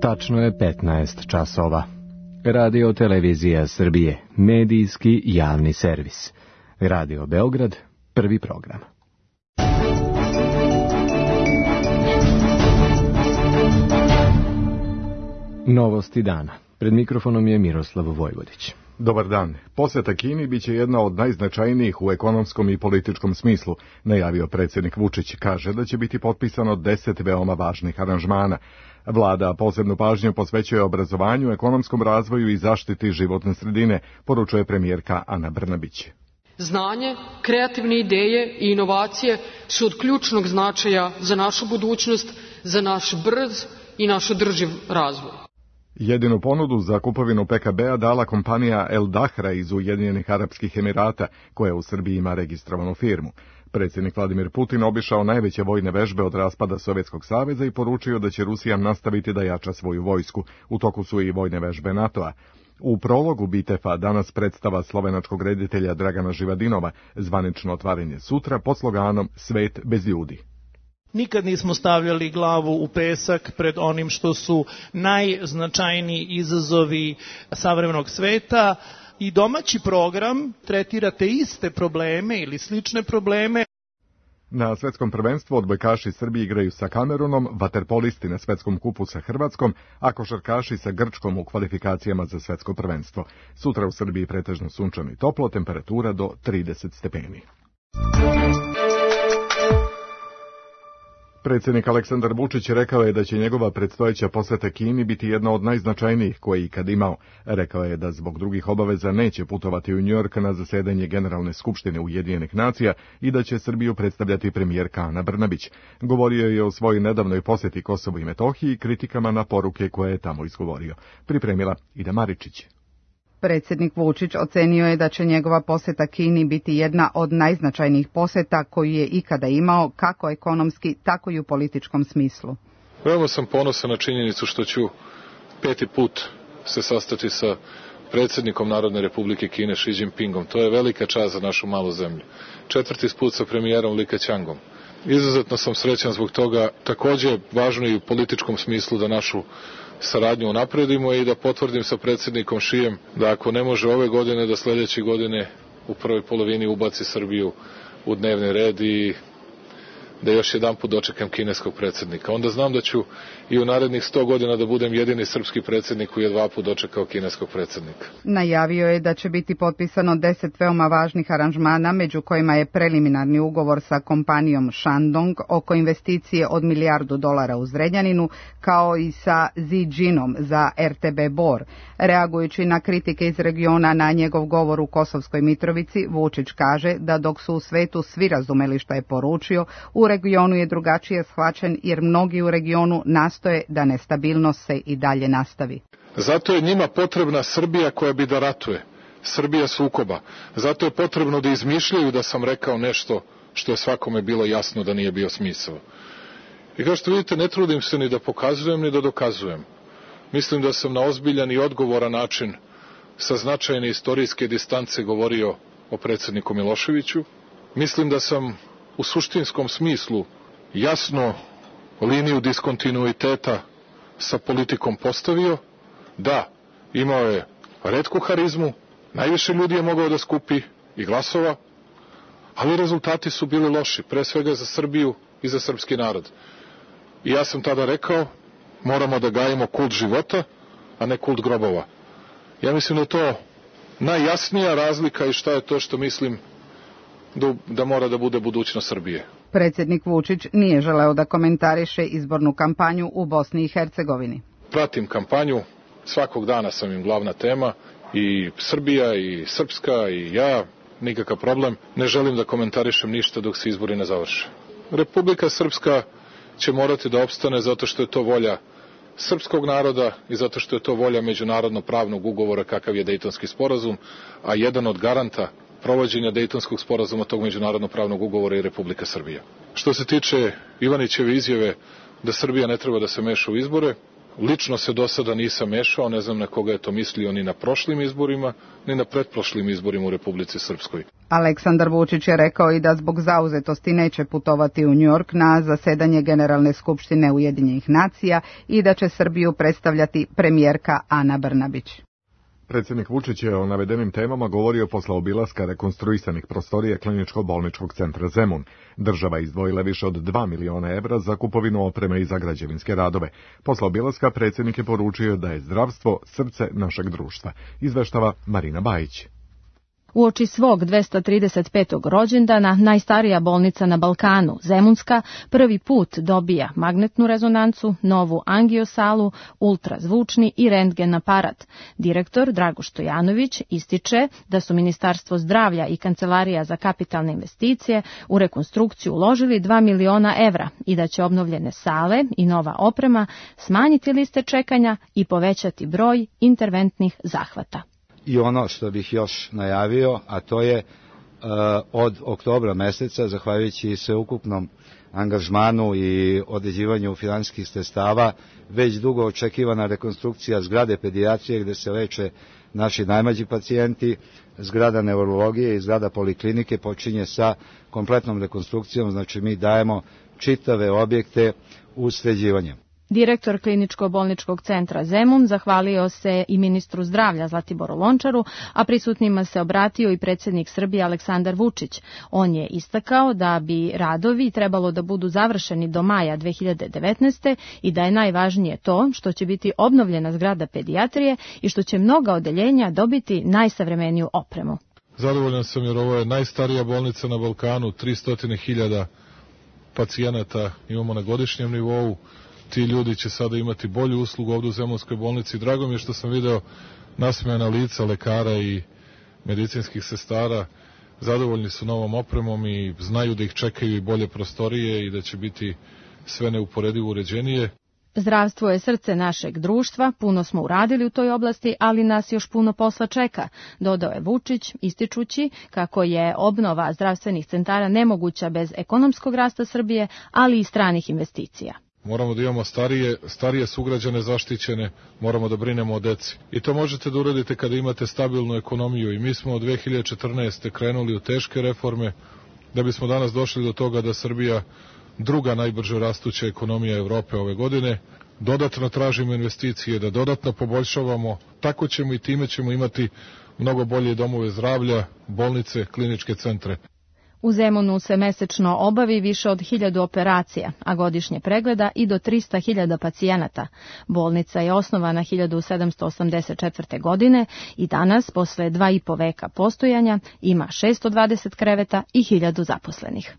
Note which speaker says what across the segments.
Speaker 1: Tačno je 15 časova. Radio Televizija Srbije, medijski javni servis. Radio Beograd, prvi program. Novosti dana. Pred mikrofonom je Miroslav Vojvodić.
Speaker 2: Dobar dan. Poseta Kini biće jedna od najznačajnijih u ekonomskom i političkom smislu, najavio predsjednik Vučić. Kaže da će biti potpisano 10 veoma važnih aranžmana. Vlada posebnu pažnju posvećuje obrazovanju, ekonomskom razvoju i zaštiti životne sredine, poručuje premijerka Ana Brnabić.
Speaker 3: Znanje, kreativne ideje i inovacije su od ključnog značaja za našu budućnost, za naš brz i naš održiv razvoj.
Speaker 2: Jedinu ponudu za kupovinu PKB-a dala kompanija El Dahra iz Ujedinjenih Arapskih Emirata, koja u Srbiji ima registrovanu firmu. Predsjednik Vladimir Putin obišao najveće vojne vežbe od raspada Sovjetskog saveza i poručio da će Rusija nastaviti da jača svoju vojsku. U toku su i vojne vežbe NATO-a. U prologu Bitefa danas predstava slovenačkog reditelja Dragana Živadinova, zvanično otvaranje sutra pod sloganom Svet bez ljudi.
Speaker 4: Nikad nismo stavljali glavu u pesak pred onim što su najznačajniji izazovi savremenog sveta i domaći program tretira te iste probleme ili slične probleme.
Speaker 2: Na svetskom prvenstvu odbojkaši Srbije igraju sa Kamerunom, vaterpolisti na svetskom kupu sa Hrvatskom, a košarkaši sa Grčkom u kvalifikacijama za svetsko prvenstvo. Sutra u Srbiji pretežno sunčano i toplo, temperatura do 30 stepeni. Predsjednik Aleksandar Vučić rekao je da će njegova predstojeća poseta Kini biti jedna od najznačajnijih koje je ikad imao. Rekao je da zbog drugih obaveza neće putovati u Njujork na zasedanje Generalne skupštine Ujedinjenih nacija i da će Srbiju predstavljati premijerka Ana Brnabić. Govorio je o svojoj nedavnoj posjeti Kosovu i Metohiji i kritikama na poruke koje je tamo izgovorio. Pripremila Ida Maričić.
Speaker 5: Predsjednik Vučić ocenio je da će njegova posjeta Kini biti jedna od najznačajnijih posjeta koju je ikada imao, kako ekonomski, tako i u političkom smislu.
Speaker 6: Veoma sam ponosan na činjenicu što ću 5. put se sastati sa predsjednikom Narodne Republike Kine Xi Jinpingom. To je velika čast za našu malu zemlju. 4. put sa premijerom Li Keqiangom. Izuzetno sam srećan zbog toga. Također važno i u političkom smislu da našu saradnju unapredimo i da potvrdim sa predsjednikom Xijem da ako ne može ove godine, da sljedeće godine u prvoj polovini ubaci Srbiju u dnevni red i da još jedan put dočekam kineskog predsjednika. Onda znam da ću i u narednih 100 godina da budem jedini srpski predsjednik koji je 2 puta dočekao kineskog predsjednika.
Speaker 5: Najavio je da će biti potpisano 10 veoma važnih aranžmana, među kojima je preliminarni ugovor sa kompanijom Shandong oko investicije od $1 milijardu u Zrenjaninu, kao i sa Ziđinom za RTB Bor. Reagujući na kritike iz regiona na njegov govor u Kosovskoj Mitrovici, Vučić kaže da dok su u svetu svi razumeli što je poručio, u regionu je drugačije shvaćen jer mnogi u regionu nastoje da nestabilnost se i dalje nastavi.
Speaker 6: Zato je njima potrebna Srbija koja bi da ratuje, Srbija sukoba. Zato je potrebno da izmišljaju da sam rekao nešto što je svakome bilo jasno da nije bio smisao. I kao što vidite, ne trudim se ni da pokazujem ni da dokazujem. Mislim da sam na ozbiljan i odgovoran način sa značajne istorijske distance govorio o predsjedniku Miloševiću. Mislim da sam u suštinskom smislu jasno liniju diskontinuiteta sa politikom postavio. Da, imao je retku harizmu, najviše ljudi je mogao da skupi i glasova, ali rezultati su bili loši, pre svega za Srbiju i za srpski narod. I ja sam tada rekao, moramo da gajimo kult života, a ne kult grobova. Ja mislim da je to najjasnija razlika i šta je to što mislim da mora da bude budućnost Srbije.
Speaker 5: Predsjednik Vučić nije želeo da komentariše izbornu kampanju u Bosni i Hercegovini.
Speaker 6: Pratim kampanju, svakog dana sam im glavna tema, i Srbija, i Srpska, i ja, nikakav problem. Ne želim da komentarišem ništa dok se izbori ne završe. Republika Srpska će morati da opstane zato što je to volja srpskog naroda i zato što je to volja međunarodno pravnog ugovora kakav je Dejtonski sporazum, a jedan od garanta provođenja Dejtonskog sporazuma tog međunarodno pravnog ugovora je Republika Srbija. Što se tiče Ivanićeve izjave da Srbija ne treba da se meša u izbore, Lično se do sada nisam mešao, ne znam na koga je to mislio ni na prošlim izborima, ni na pretprošlim izborima u Republici Srpskoj.
Speaker 5: Aleksandar Vučić je rekao i da zbog zauzetosti neće putovati u Njujork na zasedanje Generalne skupštine Ujedinjenih nacija i da će Srbiju predstavljati premijerka Ana Brnabić.
Speaker 2: Predsjednik Vučić je o navedenim temama govorio posle obilaska rekonstruisanih prostorija Kliničko-bolničkog centra Zemun. Država izdvojila više od 2 miliona evra za kupovinu opreme i za građevinske radove. Posle obilaska predsjednik je poručio da je zdravstvo srce našeg društva. Izveštava Marina Bajić.
Speaker 7: Uoči svog 235. rođendana, najstarija bolnica na Balkanu, Zemunska, prvi put dobija magnetnu rezonancu, novu angiosalu, ultrazvučni i rentgen aparat. Direktor Drago Stojanović ističe da su Ministarstvo zdravlja i Kancelarija za kapitalne investicije u rekonstrukciju uložili 2 miliona evra i da će obnovljene sale i nova oprema smanjiti liste čekanja i povećati broj interventnih zahvata.
Speaker 8: I ono što bih još najavio, a to je od oktobra meseca, zahvaljujući sveukupnom angažmanu i određivanju finansijskih sredstava, već dugo očekivana rekonstrukcija zgrade pedijatrije gde se leče naši najmlađi pacijenti, zgrada neurologije i zgrada poliklinike počinje sa kompletnom rekonstrukcijom, znači mi dajemo čitave objekte u sređivanje.
Speaker 7: Direktor Kliničko-bolničkog centra Zemun zahvalio se i ministru zdravlja Zlatiboru Lončaru, a prisutnima se obratio i predsjednik Srbije Aleksandar Vučić. On je istakao da bi radovi trebalo da budu završeni do maja 2019. i da je najvažnije to što će biti obnovljena zgrada pedijatrije i što će mnoga odeljenja dobiti najsavremeniju opremu.
Speaker 6: Zadovoljan sam jer ovo je najstarija bolnica na Balkanu, 300.000 pacijenata imamo na godišnjem nivou. Ti ljudi će sada imati bolju uslugu ovdje u Zemunskoj bolnici. Drago mi je što sam video nasmejana lica lekara i medicinskih sestara. Zadovoljni su novom opremom i znaju da ih čekaju i bolje prostorije i da će biti sve neuporedivo uređenije.
Speaker 7: Zdravstvo je srce našeg društva, puno smo uradili u toj oblasti, ali nas još puno posla čeka, dodao je Vučić, ističući kako je obnova zdravstvenih centara nemoguća bez ekonomskog rasta Srbije, ali i stranih investicija.
Speaker 6: Moramo da imamo starije sugrađane zaštićene, moramo da brinemo o deci. I to možete da uradite kada imate stabilnu ekonomiju. I mi smo od 2014. krenuli u teške reforme, da bismo danas došli do toga da Srbija druga najbrže rastuća ekonomija Evrope ove godine. Dodatno tražimo investicije, da dodatno poboljšavamo, tako ćemo i time ćemo imati mnogo bolje domove zdravlja, bolnice, kliničke centre.
Speaker 7: U Zemunu se mesečno obavi više od 1000 operacija, a godišnje pregleda i do 300.000 pacijenata. Bolnica je osnovana 1784. godine i danas, posle 2,5 veka postojanja, ima 620 kreveta i 1000 zaposlenih.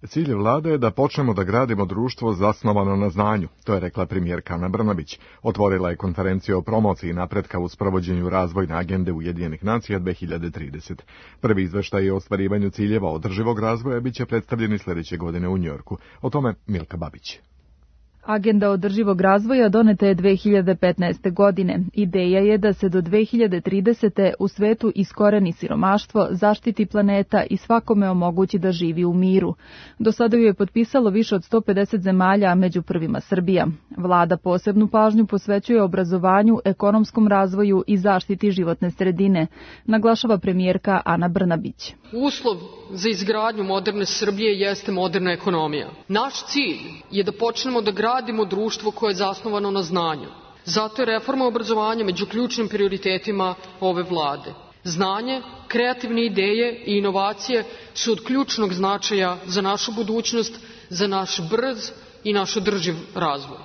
Speaker 2: Cilj vlade je da počnemo da gradimo društvo zasnovano na znanju, to je rekla premijerka Ana Brnabić. Otvorila je konferenciju o promociji napretka u sprovođenju razvojne agende Ujedinjenih nacija 2030. Prvi izveštaj o ostvarivanju ciljeva održivog razvoja biće predstavljeni sljedeće godine u Njujorku. O tome Milka Babić.
Speaker 9: Agenda održivog razvoja doneta je 2015. godine. Ideja je da se do 2030. u svetu iskoreni siromaštvo, zaštiti planeta i svakome omogući da živi u miru. Do sada ju je potpisalo više od 150 zemalja, a među prvima Srbija. Vlada posebnu pažnju posvećuje obrazovanju, ekonomskom razvoju i zaštiti životne sredine, naglašava premijerka Ana Brnabić.
Speaker 3: Uslov za izgradnju moderne Srbije jeste moderna ekonomija. Naš cilj je da počnemo da gradimo društvo koje je zasnovano na znanju. Zato je reforma obrazovanja među ključnim prioritetima ove vlade. Znanje, kreativne ideje i inovacije su od ključnog značaja za našu budućnost, za naš brz i naš održiv razvoj.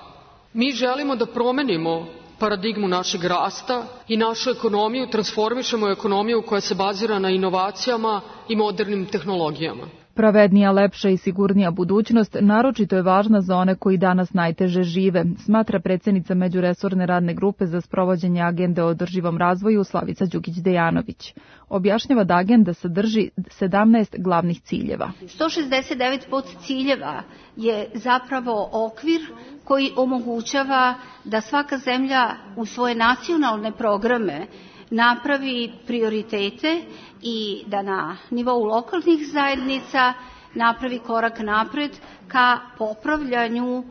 Speaker 3: Mi želimo da promenimo paradigmu našeg rasta i našu ekonomiju transformišemo u ekonomiju koja se bazira na inovacijama i modernim tehnologijama.
Speaker 9: Pravednija, lepša i sigurnija budućnost naročito je važna za one koji danas najteže žive, smatra predsjednica Međuresorne radne grupe za sprovođenje agende o održivom razvoju Slavica Đukić-Dejanović. Objašnjava da agenda sadrži 17 glavnih ciljeva.
Speaker 10: 169 podciljeva je zapravo okvir koji omogućava da svaka zemlja u svoje nacionalne programe napravi prioritete i da na nivou lokalnih zajednica napravi korak napred ka popravljanju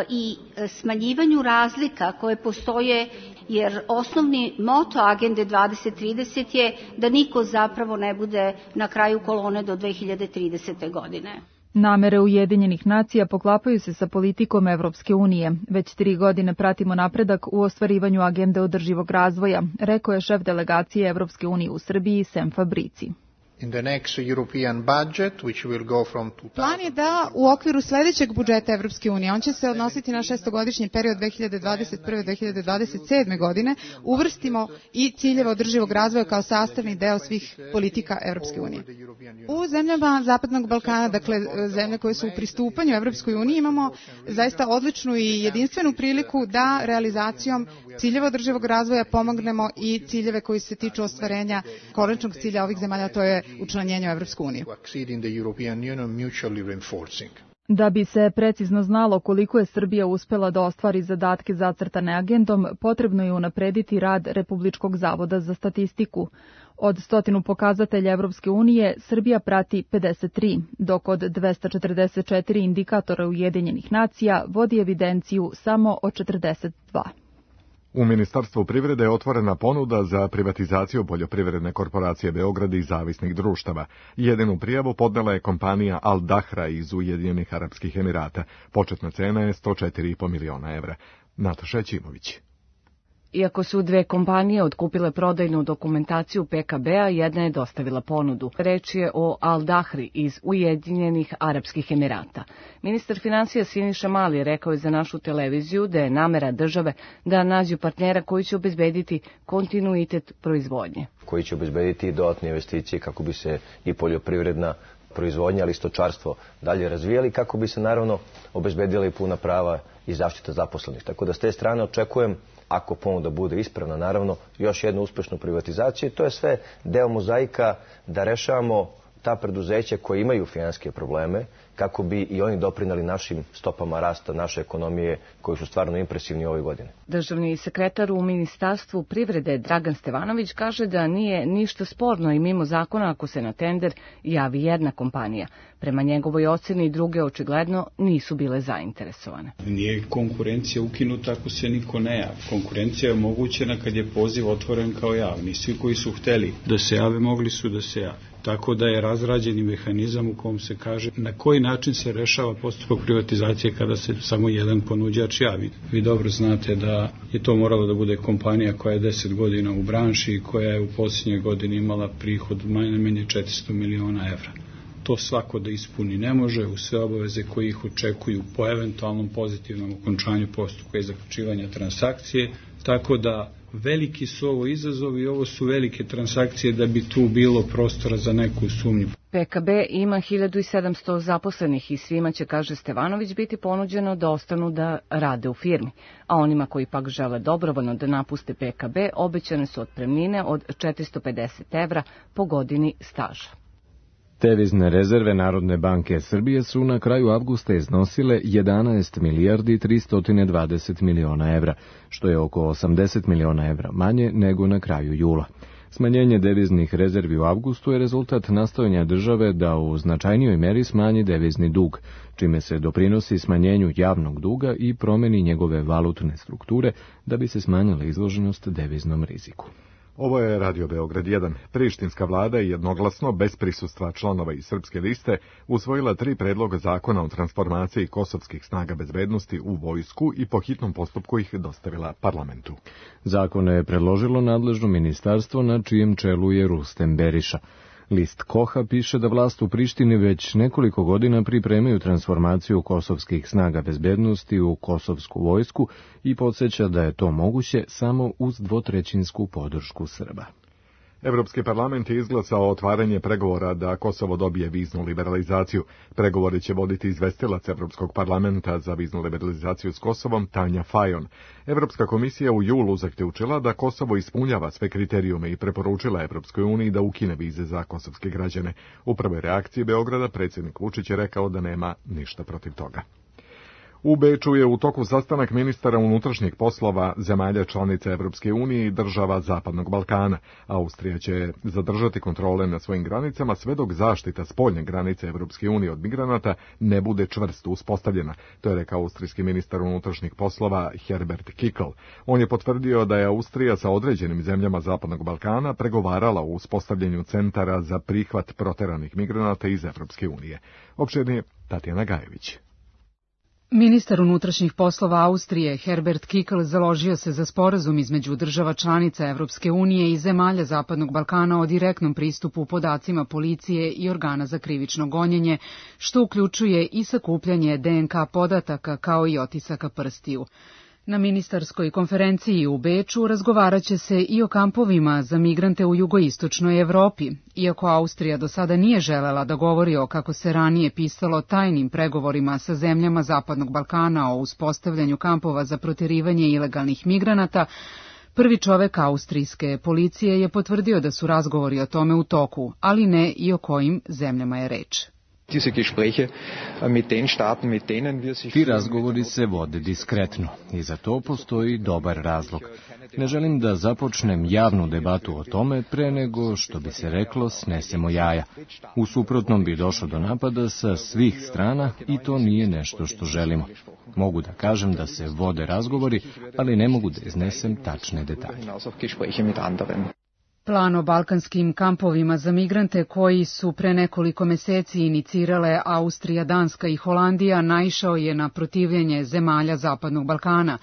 Speaker 10: i smanjivanju razlika koje postoje, jer osnovni moto Agende 2030 je da niko zapravo ne bude na kraju kolone do 2030. godine.
Speaker 9: Namere Ujedinjenih nacija poklapaju se sa politikom Evropske unije. Već 3 godine pratimo napredak u ostvarivanju agende održivog razvoja, rekao je šef delegacije Evropske unije u Srbiji Sem Fabrici.
Speaker 11: Plan je da u okviru sledećeg budžeta Evropske unije, on će se odnositi na 6-godišnji period 2021-2027. godine, uvrstimo i ciljeve održivog razvoja kao sastavni deo svih politika Evropske unije. U zemljama Zapadnog Balkana, dakle zemlje koje su u pristupanju Evropskoj uniji, imamo zaista odličnu i jedinstvenu priliku da realizacijom ciljeva održivog razvoja pomognemo i ciljeve koji se tiču ostvarenja konačnog cilja ovih zemalja, to je učlanjenje u Evropsku uniju.
Speaker 9: Da bi se precizno znalo koliko je Srbija uspela da ostvari zadatke zacrtane agendom, potrebno je unaprediti rad Republičkog zavoda za statistiku. Od 100 pokazatelja Evropske unije, Srbija prati 53, dok od 244 indikatora Ujedinjenih nacija vodi evidenciju samo o 42.
Speaker 2: U Ministarstvu privrede je otvorena ponuda za privatizaciju poljoprivredne korporacije Beograd i zavisnih društava. Jedinu prijavu podnela je kompanija Al Dahra iz Ujedinjenih Arapskih Emirata. Početna cena je 104,5 miliona evra. Nataša Ćimović.
Speaker 12: Iako su 2 kompanije otkupile prodajnu dokumentaciju PKB-a, jedna je dostavila ponudu. Reč je o Al Dahri iz Ujedinjenih Arapskih Emirata. Ministar finansija Siniša Mali rekao je za našu televiziju da je namera države da nađu partnera koji će obezbediti kontinuitet proizvodnje.
Speaker 13: Koji će obezbediti dodatne investicije kako bi se i poljoprivredna proizvodnja, ali i stočarstvo dalje razvijali, kako bi se naravno obezbedila i puna prava i zaštita zaposlenih. Tako da s te strane očekujem, ako ponuda bude ispravna, naravno, još jednu uspešnu privatizaciju. To je sve deo mozaika da rešavamo ta preduzeća koje imaju finansijske probleme, kako bi i oni doprineli našim stopama rasta naše ekonomije, koji su stvarno impresivni ove godine.
Speaker 12: Državni sekretar u Ministarstvu privrede Dragan Stevanović kaže da nije ništa sporno i mimo zakona ako se na tender javi jedna kompanija. Prema njegovoj oceni druge očigledno nisu bile zainteresovane.
Speaker 14: Nije konkurencija ukinuta ako se niko ne javi. Konkurencija je omogućena kad je poziv otvoren kao javni. Svi koji su hteli da se jave, mogli su da se jave. Tako da je razrađeni mehanizam u kom se kaže na koji način se rešava postupak privatizacije kada se samo jedan ponuđač javi. Vi dobro znate da je to moralo da bude kompanija koja je 10 godina u branši i koja je u posljednjoj godini imala prihod najmanje 400 miliona evra. To svako da ispuni ne može u sve obaveze koje ih očekuju po eventualnom pozitivnom okončanju postupka i zaključivanja transakcije, tako da veliki su ovo izazovi i ovo su velike transakcije da bi tu bilo prostora za neku sumnju.
Speaker 12: PKB ima 1700 zaposlenih i svima će, kaže Stevanović, biti ponuđeno da ostanu da rade u firmi, a onima koji pak žele dobrovoljno da napuste PKB obećane su otpremnine od 450 evra po godini staža.
Speaker 1: Devizne rezerve Narodne banke Srbije su na kraju avgusta iznosile 11 milijardi 320 miliona evra, što je oko 80 miliona evra manje nego na kraju jula. Smanjenje deviznih rezervi u avgustu je rezultat nastojanja države da u značajnijoj meri smanji devizni dug, čime se doprinosi smanjenju javnog duga i promeni njegove valutne strukture da bi se smanjila izloženost deviznom riziku.
Speaker 2: Ovo je Radio Beograd 1. Prištinska vlada je jednoglasno, bez prisustva članova iz Srpske liste, usvojila 3 predloga zakona o transformaciji kosovskih snaga bezbednosti u vojsku i po hitnom postupku ih dostavila parlamentu.
Speaker 1: Zakone je predložilo nadležno ministarstvo na čijem čelu je Rustem Beriša. List Koha piše da vlast u Prištini već nekoliko godina pripremaju transformaciju kosovskih snaga bezbednosti u kosovsku vojsku i podsjeća da je to moguće samo uz 2/3 podršku Srba.
Speaker 2: Evropski parlament je izglasao otvaranje pregovora da Kosovo dobije viznu liberalizaciju. Pregovori će voditi izvestilac Evropskog parlamenta za viznu liberalizaciju s Kosovom, Tanja Fajon. Evropska komisija u julu zaključila da Kosovo ispunjava sve kriterijume i preporučila Evropskoj uniji da ukine vize za kosovske građane. U prvoj reakciji Beograda predsjednik Vučić je rekao da nema ništa protiv toga. U Beču je u toku sastanak ministara unutrašnjih poslova zemalja članica Evropske unije i država Zapadnog Balkana. Austrija će zadržati kontrole na svojim granicama sve dok zaštita spoljne granice Evropske unije od migranata ne bude čvrsto uspostavljena. To je rekao austrijski ministar unutrašnjih poslova Herbert Kickl. On je potvrdio da je Austrija sa određenim zemljama Zapadnog Balkana pregovarala o uspostavljanju centara za prihvat proteranih migranata iz Evropske unije. Opširnije Tatjana Gajević.
Speaker 15: Ministar unutrašnjih poslova Austrije Herbert Kickl založio se za sporazum između država članica Evropske unije i zemalja Zapadnog Balkana o direktnom pristupu podacima policije i organa za krivično gonjenje, što uključuje i sakupljanje DNK podataka kao i otisaka prstiju. Na ministarskoj konferenciji u Beču razgovarat će se i o kampovima za migrante u jugoistočnoj Evropi. Iako Austrija do sada nije želela da govori o, kako se ranije pisalo, tajnim pregovorima sa zemljama Zapadnog Balkana o uspostavljanju kampova za proterivanje ilegalnih migranata, prvi čovek austrijske policije je potvrdio da su razgovori o tome u toku, ali ne i o kojim zemljama je reč.
Speaker 1: Ti razgovori se vode diskretno i za to postoji dobar razlog. Ne želim da započnem javnu debatu o tome pre nego, što bi se reklo, snesemo jaja. U suprotnom bi došlo do napada sa svih strana i to nije nešto što želimo. Mogu da kažem da se vode razgovori, ali ne mogu da iznesem tačne detalje.
Speaker 15: Plan o balkanskim kampovima za migrante koji su pre nekoliko meseci inicirale Austrija, Danska i Holandija naišao je na protivljenje zemalja Zapadnog Balkana.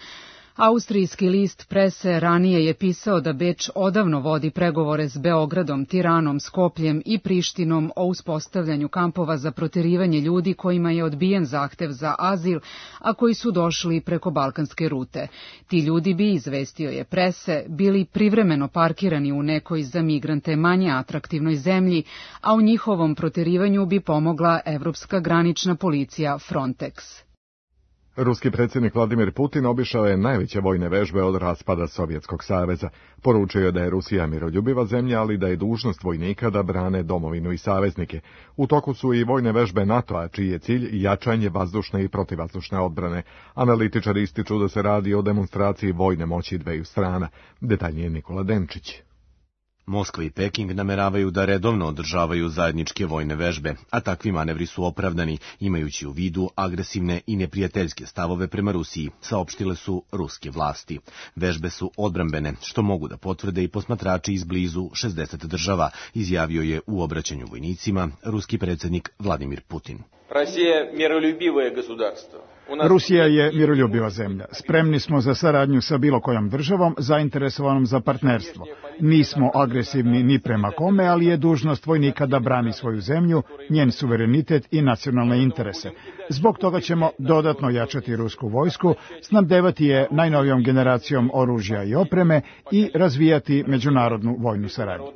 Speaker 15: Austrijski list Prese ranije je pisao da Beč odavno vodi pregovore s Beogradom, Tiranom, Skopljem i Prištinom o uspostavljanju kampova za proterivanje ljudi kojima je odbijen zahtev za azil, a koji su došli preko balkanske rute. Ti ljudi bi, izvestio je Prese, bili privremeno parkirani u nekoj za migrante manje atraktivnoj zemlji, a u njihovom proterivanju bi pomogla Evropska granična policija Frontex.
Speaker 2: Ruski predsjednik Vladimir Putin obišao je najveće vojne vežbe od raspada Sovjetskog saveza. Poručio je da je Rusija miroljubiva zemlja, ali da je dužnost vojnika da brane domovinu i saveznike. U toku su i vojne vežbe NATO-a, čiji je cilj jačanje vazdušne i protivvazdušne odbrane. Analitičari ističu da se radi o demonstraciji vojne moći dveju strana. Detaljnije Nikola Denčić.
Speaker 16: Moskva i Peking nameravaju da redovno održavaju zajedničke vojne vežbe, a takvi manevri su opravdani, imajući u vidu agresivne i neprijateljske stavove prema Rusiji, saopštile su ruske vlasti. Vežbe su odbrambene, što mogu da potvrde i posmatrači iz blizu 60 država, izjavio je u obraćanju vojnicima ruski predsjednik Vladimir Putin.
Speaker 17: Rusija je miroljubiva zemlja. Spremni smo za saradnju sa bilo kojom državom, zainteresovanom za partnerstvo. Nismo agresivni ni prema kome, ali je dužnost vojnika da brani svoju zemlju, njen suverenitet i nacionalne interese. Zbog toga ćemo dodatno jačati rusku vojsku, snabdevati je najnovijom generacijom oružja i opreme i razvijati međunarodnu vojnu saradnju.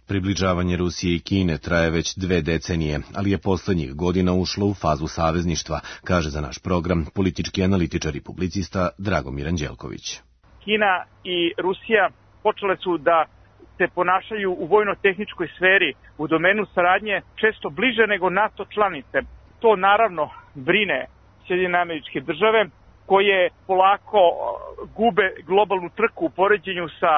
Speaker 16: Približavanje Rusije i Kine traje već 2 decenije, ali je poslednjih godina ušlo u fazu savezništva, kaže za naš program politički analitičar i publicista Dragomir Anđelković.
Speaker 18: Kina i Rusija počele su da se ponašaju u vojno-tehničkoj sferi u domenu saradnje često bliže nego NATO članice. To naravno brine Sjedinjene Američke Države, koje polako gube globalnu trku u poređenju sa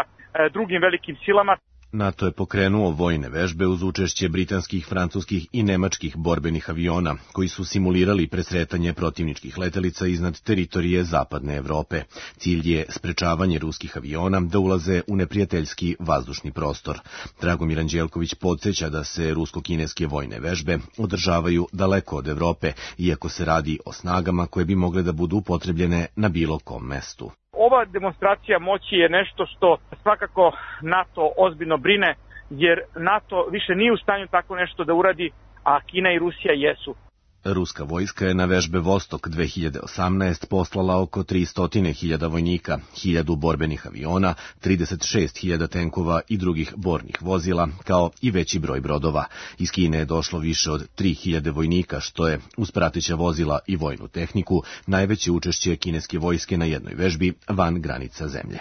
Speaker 18: drugim velikim silama.
Speaker 16: NATO je pokrenuo vojne vežbe uz učešće britanskih, francuskih i nemačkih borbenih aviona, koji su simulirali presretanje protivničkih letelica iznad teritorije Zapadne Evrope. Cilj je sprečavanje ruskih aviona da ulaze u neprijateljski vazdušni prostor. Dragomir Anđelković podsjeća da se rusko-kineske vojne vežbe održavaju daleko od Evrope, iako se radi o snagama koje bi mogle da budu upotrebljene na bilo kom mestu.
Speaker 18: Ova demonstracija moći je nešto što svakako NATO ozbiljno brine, jer NATO više nije u stanju tako nešto da uradi, a Kina i Rusija jesu.
Speaker 16: Ruska vojska je na vežbe Vostok 2018 poslala oko 300.000 vojnika, 1000 borbenih aviona, 36.000 tenkova i drugih bornih vozila, kao i veći broj brodova. Iz Kine je došlo više od 3.000 vojnika, što je, uz prateća vozila i vojnu tehniku, najveće učešće kineske vojske na jednoj vežbi van granica zemlje.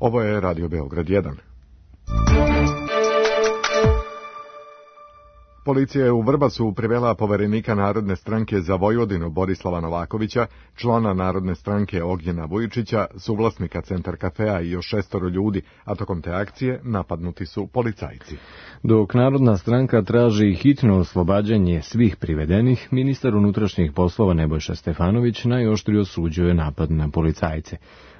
Speaker 2: Ovo je Radio Beograd 1. Policija je u Vrbasu privela poverenika Narodne stranke za Vojvodinu Borislava Novakovića, člana Narodne stranke Ognjena Vujičića, suvlasnika Centar kafea i još 6 ljudi, a tokom te akcije napadnuti su policajci.
Speaker 1: Dok Narodna stranka traži hitno oslobađanje svih privedenih, ministar unutrašnjih poslova Nebojša Stefanović najoštrije osuđuje napad na policajce.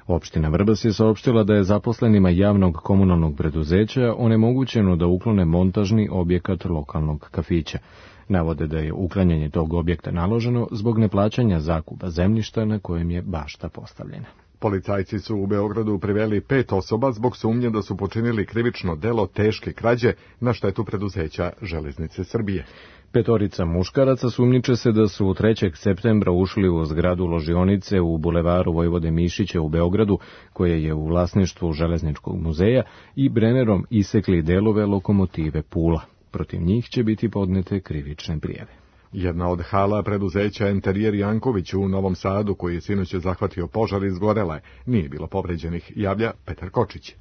Speaker 1: Opština Vrbas je saopštila da je zaposlenima javnog komunalnog preduzeća onemogućeno da uklone montažni objekat lokalnog kafića. Navode da je uklanjanje tog objekta naloženo zbog neplaćanja zakupa zemljišta na kojem je bašta postavljena.
Speaker 2: Policajci su u Beogradu priveli 5 osoba zbog sumnje da su počinili krivično delo teške krađe na štetu preduzeća Železnice Srbije.
Speaker 1: 5 muškaraca sumnjiče se da su 3. septembra ušli u zgradu ložionice u bulevaru Vojvode Mišića u Beogradu, koje je u vlasništvu Železničkog muzeja, i Brennerom isekli delove lokomotive Pula. Protiv njih će biti podnete krivične prijave.
Speaker 2: Jedna od hala preduzeća Enterijer Janković u Novom Sadu, koji je sinoć zahvatio požar, izgorela je. Nije bilo povređenih, javlja Petar Kočić.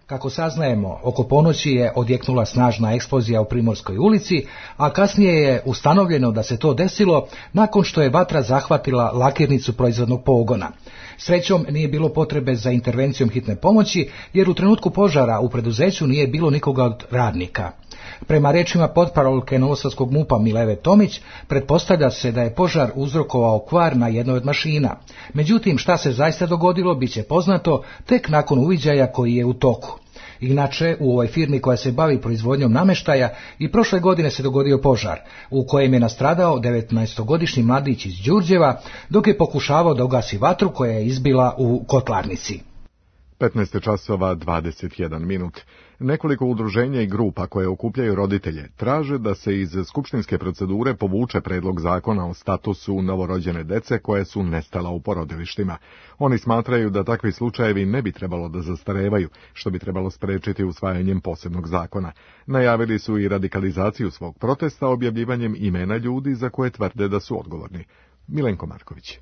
Speaker 19: Kako saznajemo, oko ponoći je odjeknula snažna eksplozija u Primorskoj ulici, a kasnije je ustanovljeno da se to desilo nakon što je vatra zahvatila lakirnicu proizvodnog pogona. Srećom nije bilo potrebe za intervencijom hitne pomoći, jer u trenutku požara u preduzeću nije bilo nikoga od radnika. Prema rečima potparolke Novosadskog MUP-a Mileve Tomić, pretpostavlja se da je požar uzrokovao kvar na jednoj od mašina. Međutim, šta se zaista dogodilo, bit će poznato tek nakon uviđaja koji je u toku. Inače, u ovoj firmi koja se bavi proizvodnjom nameštaja i prošle godine se dogodio požar, u kojem je nastradao 19-godišnji mladić iz Đurđeva, dok je pokušavao da ugasi vatru koja je izbila u kotlarnici.
Speaker 2: 15:21. Nekoliko udruženja i grupa koje okupljaju roditelje traže da se iz skupštinske procedure povuče predlog zakona o statusu novorođene dece koje su nestala u porodilištima. Oni smatraju da takvi slučajevi ne bi trebalo da zastarevaju, što bi trebalo sprečiti usvajanjem posebnog zakona. Najavili su i radikalizaciju svog protesta objavljivanjem imena ljudi za koje tvrde da su odgovorni. Milenko Marković.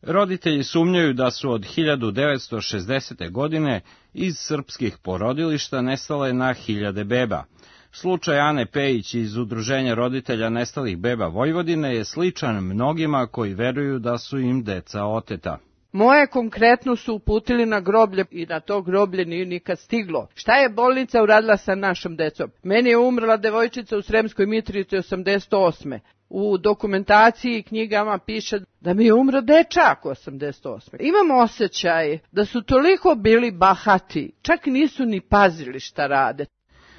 Speaker 20: Roditelji sumnjaju da su od 1960. godine iz srpskih porodilišta nestale na hiljade beba. Slučaj Ane Pejić iz Udruženja roditelja nestalih beba Vojvodine je sličan mnogima koji veruju da su im deca oteta.
Speaker 21: Moje konkretno su uputili na groblje i na to groblje nije nikad stiglo. Šta je bolnica uradila sa našom decom? Meni je umrla devojčica u Sremskoj Mitrovici 88. U dokumentaciji i knjigama piše da mi je umro dečak 88. Imam osjećaj da su toliko bili bahati, čak nisu ni pazili šta rade.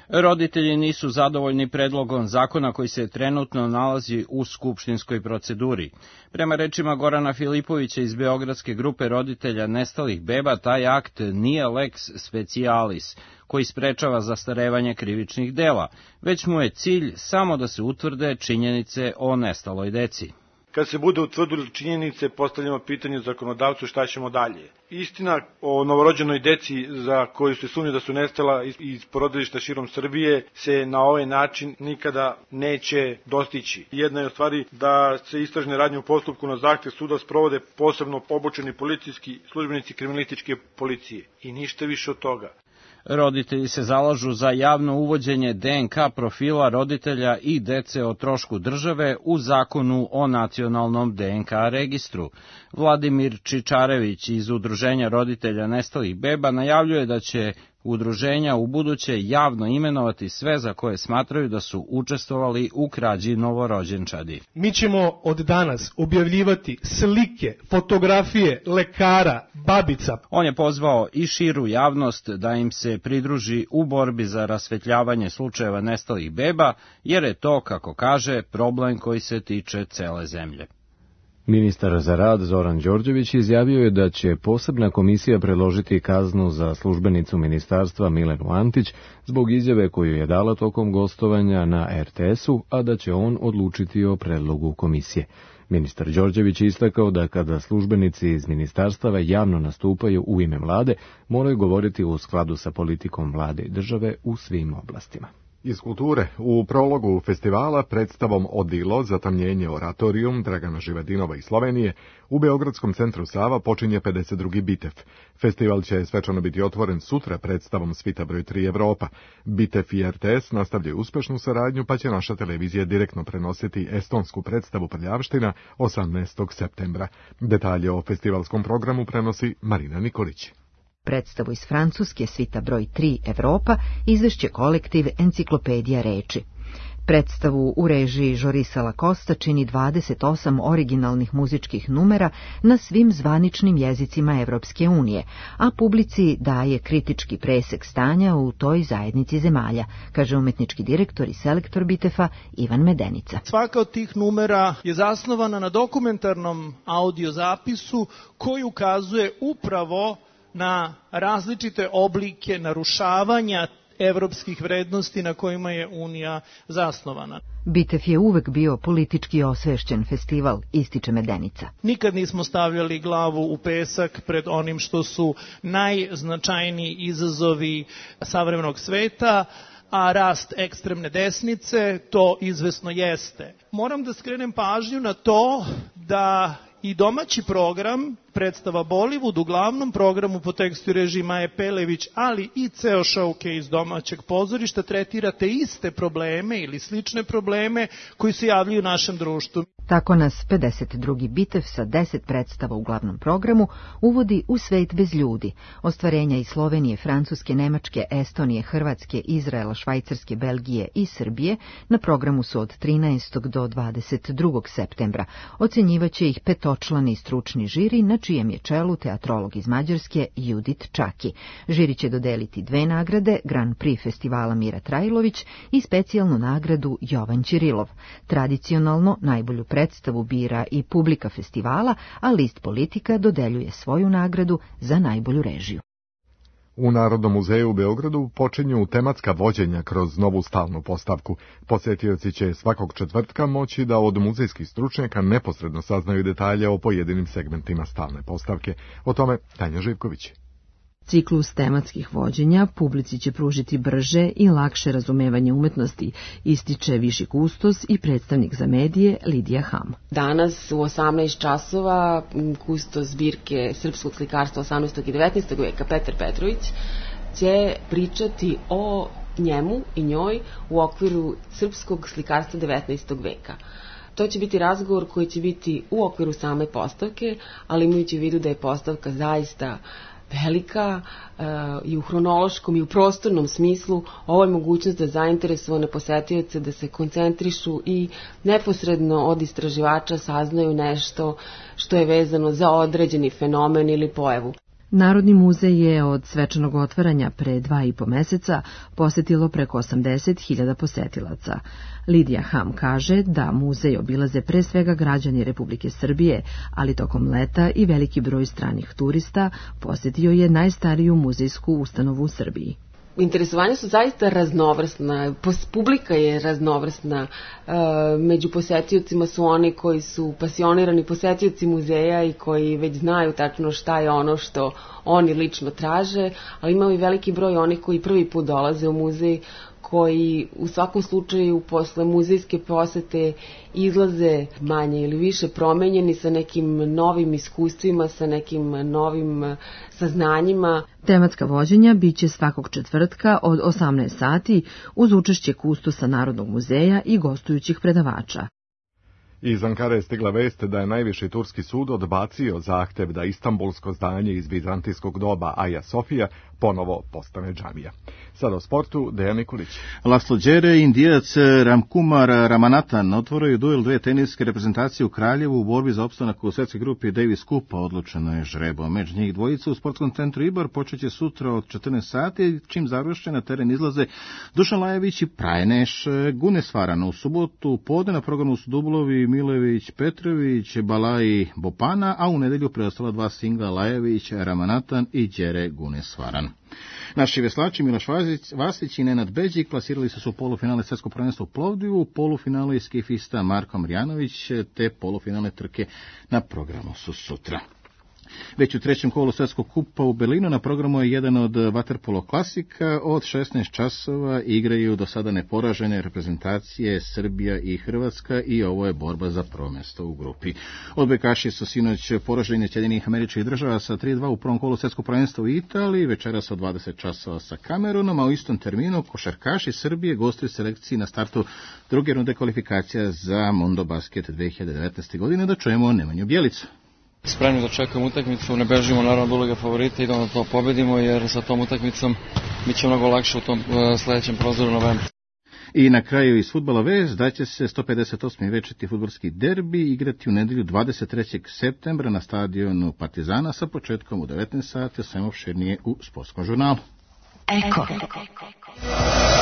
Speaker 20: Roditelji nisu zadovoljni predlogom zakona koji se trenutno nalazi u skupštinskoj proceduri. Prema rečima Gorana Filipovića iz Beogradske grupe roditelja nestalih beba, taj akt nije lex specialis, koji sprečava zastarevanje krivičnih dela, već mu je cilj samo da se utvrde činjenice o nestaloj deci.
Speaker 22: Kad se bude utvrdili činjenice, postavljamo pitanje zakonodavcu šta ćemo dalje. Istina o novorođenoj deci za koju se sumnja da su nestala iz porodilišta širom Srbije se na ovaj način nikada neće dostići. Jedna je u stvari da se istražne radnje u postupku na zahtev suda sprovode posebno obučeni policijski službenici kriminalističke policije i ništa više od toga.
Speaker 20: Roditelji se zalažu za javno uvođenje DNK profila roditelja i dece o trošku države u zakonu o nacionalnom DNK registru. Vladimir Čičarević iz Udruženja roditelja nestalih beba najavljuje da će udruženja ubuduće javno imenovati sve za koje smatraju da su učestvovali u krađi novorođenčadi.
Speaker 23: Mi ćemo od danas objavljivati slike, fotografije lekara, babica.
Speaker 20: On je pozvao i širu javnost da im se pridruži u borbi za rasvetljavanje slučajeva nestalih beba, jer je to, kako kaže, problem koji se tiče cele zemlje.
Speaker 1: Ministar za rad Zoran Đorđević izjavio je da će posebna komisija predložiti kaznu za službenicu ministarstva Milenu Antić zbog izjave koju je dala tokom gostovanja na RTS-u, a da će on odlučiti o predlogu komisije. Ministar Đorđević je istakao da kada službenici iz ministarstava javno nastupaju u ime vlade, moraju govoriti u skladu sa politikom vlade i države u svim oblastima.
Speaker 2: Iz kulture, u prologu festivala predstavom Odilo, zatamnjenje oratorijum Dragana Živadinova iz Slovenije, u Beogradskom centru Sava počinje 52. Bitev. Festival će svečano biti otvoren sutra predstavom Svita broj 3 Evropa. Bitev i RTS nastavljaju uspešnu saradnju, pa će naša televizija direktno prenositi estonsku predstavu Prljavština 18. septembra. Detalje o festivalskom programu prenosi Marina Nikolić.
Speaker 4: Predstavu iz Francuske Svita broj 3 Evropa izvešće kolektiv Enciklopedija reči. Predstavu u režiji Žorisa Lakosta čini 28 originalnih muzičkih numera na svim zvaničnim jezicima Evropske unije, a publici daje kritički presek stanja u toj zajednici zemalja, kaže umetnički direktor i selektor Bitefa Ivan Medenica.
Speaker 5: Svaka od tih numera je zasnovana na dokumentarnom audio zapisu koji ukazuje upravo na različite oblike narušavanja evropskih vrednosti na kojima je Unija zasnovana.
Speaker 4: Bitev je uvek bio politički osvešćen festival, ističe Medenica.
Speaker 5: Nikad nismo stavljali glavu u pesak pred onim što su najznačajniji izazovi savremenog sveta, a rast ekstremne desnice to izvesno jeste. Moram da skrenem pažnju na to da i domaći program, predstava Bollywood, u glavnom programu po tekstu i režiji Maje Pelević, ali i ceo showcase domaćeg pozorišta tretira te iste probleme ili slične probleme koji se javljaju u našem društvu.
Speaker 4: Tako nas 52. Bitev sa 10 predstava u glavnom programu uvodi u svet bez ljudi. Ostvarenja iz Slovenije, Francuske, Nemačke, Estonije, Hrvatske, Izraela, Švajcarske, Belgije i Srbije na programu su od 13. do 22. septembra. Ocenjivaće ih petočlani stručni žiri, na čijem je čelu teatrolog iz Mađarske Judit Čaki. Žiri će dodeliti 2 nagrade, Grand Prix festivala Mira Trajlović i specijalnu nagradu Jovan Ćirilov. Tradicionalno najbolju predstavu bira i publika festivala, a list Politika dodeljuje svoju nagradu za najbolju režiju.
Speaker 2: U Narodnom muzeju u Beogradu počinju tematska vođenja kroz novu stalnu postavku. Posetioci će svakog četvrtka moći da od muzejskih stručnjaka neposredno saznaju detalje o pojedinim segmentima stalne postavke. O tome Tanja Živković.
Speaker 8: Ciklus tematskih vođenja publici će pružiti brže i lakše razumevanje umetnosti, ističe viši kustos i predstavnik za medije Lidija Ham.
Speaker 24: Danas u 18 časova kustos zbirke srpskog slikarstva 18. i 19. veka Petar Petrović će pričati o njemu i njoj u okviru srpskog slikarstva 19. veka. To će biti razgovor koji će biti u okviru same postavke, ali imajući u vidu da je postavka zaista velika i u hronološkom i u prostornom smislu, ovo je mogućnost da zainteresovane posetioce da se koncentrišu i neposredno od istraživača saznaju nešto što je vezano za određeni fenomen ili pojavu.
Speaker 8: Narodni muzej je od svečanog otvaranja pre 2,5 meseca posetilo preko 80.000 posetilaca. Lidija Ham kaže da muzej obilaze pre svega građani Republike Srbije, ali tokom leta i veliki broj stranih turista posetio je najstariju muzejsku ustanovu u Srbiji.
Speaker 24: Interesovanja su zaista raznovrsna, publika je raznovrsna, među posetiocima su oni koji su pasionirani posetioci muzeja i koji već znaju tačno šta je ono što oni lično traže, ali imamo i veliki broj onih koji prvi put dolaze u muzej, koji u svakom slučaju posle muzejske posete izlaze manje ili više promenjeni sa nekim novim iskustvima, sa nekim novim saznanjima.
Speaker 8: Tematska vođenja biće svakog četvrtka od 18 sati uz učešće kustosa Narodnog muzeja i gostujućih predavača.
Speaker 2: Iz Ankare je stigla vest da je najviši turski sud odbacio zahtev da istanbulsko zdanje iz vizantijskog doba Aja Sofija ponovo postane džamija. Sada o sportu, Dejan Nikolić.
Speaker 25: Laslo Đere i Indijac Ramkumar Ramanathan otvoraju duel dve teniske reprezentacije u Kraljevu u borbi za opstanak u svetskoj grupi Davis Cupa. Odlučeno je žrebom. Među njih dvojica u sportskom centru Ibar počeće sutra od 14 sati, čim završe na teren izlaze Dušan Lajević i Prajneš Gunesvaran. U subotu podne na programu su dublovi Milević Petrović, Balaji Bopana, a u nedelju preostala dva singla Lajević Ramanathan i Đere Gunesvaran. Naši veslači Miloš Vasić i Nenad Beđik plasirali su u polufinale svjetskog prvenstva u Plovdivu, polufinale skifista Marko Marjanović, te polufinale trke na programu su sutra. Već u trećem kolu Svjetskog kupa u Berlinu na programu je jedan od vaterpolo klasika. Od 16 časova igraju do sada neporažene reprezentacije Srbija i Hrvatska i ovo je borba za prvo mjesto u grupi. Odbojkaši su sinoć poraženi Sjedinjenih Američkih Država sa 3-2 u prvom kolu Svjetskog prvenstva u Italiji, večeras od 20 časova sa Kamerunom, a u istom terminu košarkaši Srbije gostuju selekciji na startu druge runde kvalifikacija za Mondo Basket 2019. godine. Da čujemo Nemanju Bjelicu.
Speaker 3: Spremni da čekamo utakmicu, ne bežimo naravno od uloge favorita, idemo da to pobedimo jer sa tom utakmicom bit će mnogo lakše u tom sledećem prozdoru novembra.
Speaker 25: I na kraju iz fudbala vest da će se 158. večiti fudbalski derbi igrati u nedelju 23. septembra na stadionu Partizana sa početkom u 19 sati, sve opširnije u Sportskom žurnalu.
Speaker 6: Eko.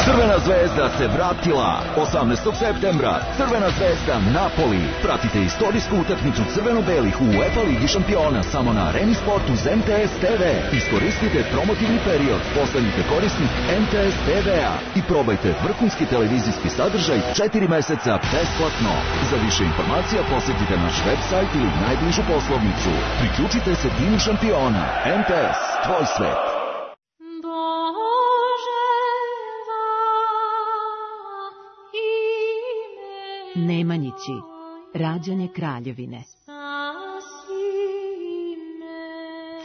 Speaker 6: Crvena zvezda se vratila 18. septembra. Crvena zvezda Napoli. Pratite istorijsku utakmicu crveno-belih u UEFA Ligi šampiona samo na Areni Sport uz MTS TV. Iskoristite promotivni period, postanite korisnik MTS TV-a i probajte vrhunski televizijski sadržaj 4 meseca besplatno. Za više informacija posjetite naš website ili najbližu poslovnicu. Priključite se timu šampiona. MTS, tvoj svet.
Speaker 7: Nemanjići, rađanje kraljevine.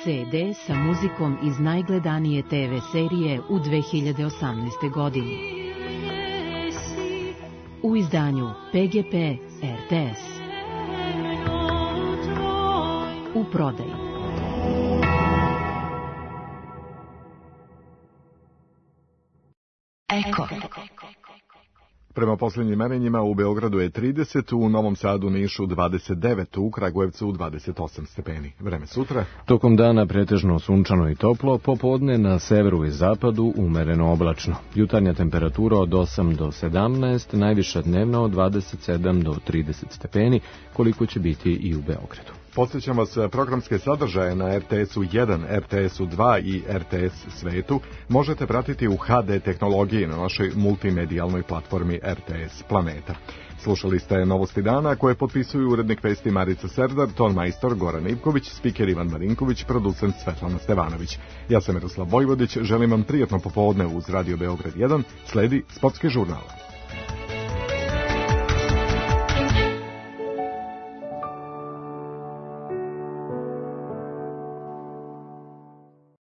Speaker 7: CD sa muzikom iz najgledanije TV serije u 2018. godini. U izdanju PGP RTS. U prodaju.
Speaker 6: Eko.
Speaker 2: Prema posljednjim merenjima u Beogradu je 30, u Novom Sadu, Nišu 29, u Kragujevcu 28 stepeni. Vreme sutra.
Speaker 1: Tokom dana pretežno sunčano i toplo, popodne na severu i zapadu umereno oblačno. Jutarnja temperatura od 8 do 17, najviša dnevna od 27 do 30 stepeni, koliko će biti i u Beogradu.
Speaker 2: Podsjećam vas, programske sadržaje na RTS-u 1, RTS-u 2 i RTS Svetu možete pratiti u HD tehnologiji na našoj multimedijalnoj platformi RTS Planeta. Slušali ste Novosti dana koje potpisuju urednik vesti Marica Serdar, ton majstor Goran Ivković, spiker Ivan Marinković, producent Svetlana Stevanović. Ja sam Miroslav Vojvodić, želim vam prijatno popodne uz Radio Beograd 1, sledi Sportski žurnal.